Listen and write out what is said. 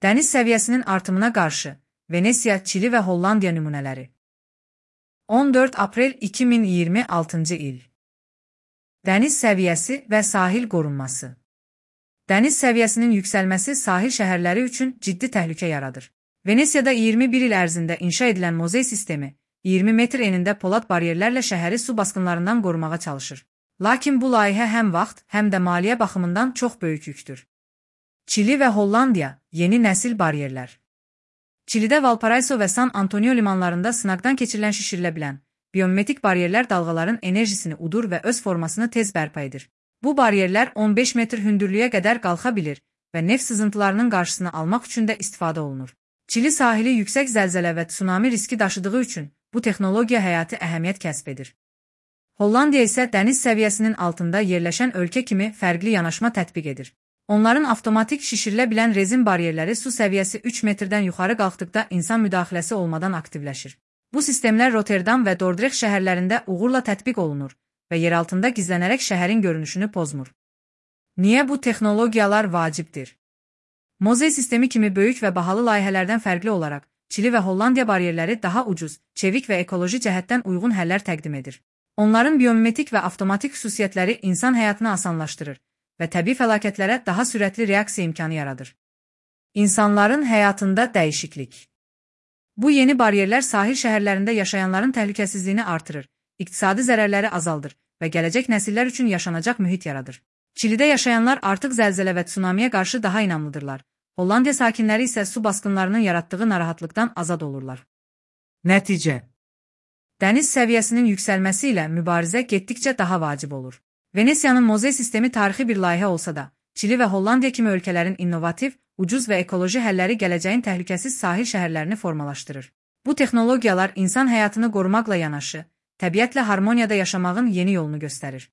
Dəniz səviyyəsinin artımına qarşı Venesiya, Çili və Hollandiya nümunələri. 14 aprel 2026 il. Dəniz səviyyəsi və sahil qorunması. Dəniz səviyyəsinin yüksəlməsi sahil şəhərləri üçün ciddi təhlükə yaradır. Venesiyada 21 il ərzində inşa edilən mozey sistemi 20 metr enində polad baryerlərlə şəhəri su basqınlarından qorumağa çalışır. Lakin bu layihə həm vaxt, həm də maliyyə baxımından çox böyük yükdür. Çili və Hollandiya yeni nəsil baryerlər. Çilidə Valparaiso və San Antonio limanlarında sınaqdan keçirilən şişirilə bilən biomimetik baryerlər dalğaların enerjisini udur və öz formasını tez bərpa edir. Bu baryerlər 15 metr hündürlüyə qədər qalxa bilir və neft sızıntılarının qarşısını almaq üçün də istifadə olunur. Çili sahili yüksək zəlzələ və tsunami riski daşıdığı üçün bu texnologiya həyati əhəmiyyət kəsb edir. Hollandiya isə dəniz səviyyəsinin altında yerləşən ölkə kimi fərqli yanaşma tətbiq edir. Onların avtomatik şişirilə bilən rezin baryerləri su səviyyəsi 3 metrdən yuxarı qalxdıqda insan müdaxiləsi olmadan aktivləşir. Bu sistemlər Rotterdam və Dordrecht şəhərlərində uğurla tətbiq olunur və yeraltında gizlənərək şəhərin görünüşünü pozmur. Niyə bu texnologiyalar vacibdir? Mozey sistemi kimi böyük və bahalı layihələrdən fərqli olaraq, Çili və Hollandiya baryerləri daha ucuz, çevik və ekoloji cəhətdən uyğun həllər təqdim edir. Onların biomimetik və avtomatik xüsusiyyətləri insan həyatını asanlaşdırır və təbii fəlakətlərə daha sürətli reaksiya imkanı yaradır. İnsanların həyatında dəyişiklik. Bu yeni baryerlər sahil şəhərlərində yaşayanların təhlükəsizliyini artırır, iqtisadi zərərləri azaldır və gələcək nəsillər üçün yaşanacaq mühit yaradır. Çilidə yaşayanlar artıq zəlzələ və tsunamiyə qarşı daha inamlıdırlar. Hollandiya sakinləri isə su basqınlarının yaratdığı narahatlıqdan azad olurlar. Nəticə. Dəniz səviyyəsinin yüksəlməsi ilə mübarizə getdikcə daha vacib olur. Venesiyanın mozey sistemi tarixi bir layihə olsa da, Çili və Hollandiya kimi ölkələrin innovativ, ucuz və ekoloji həlləri gələcəyin təhlükəsiz sahil şəhərlərini formalaşdırır. Bu texnologiyalar insan həyatını qorumaqla yanaşı, təbiətlə harmoniyada yaşamağın yeni yolunu göstərir.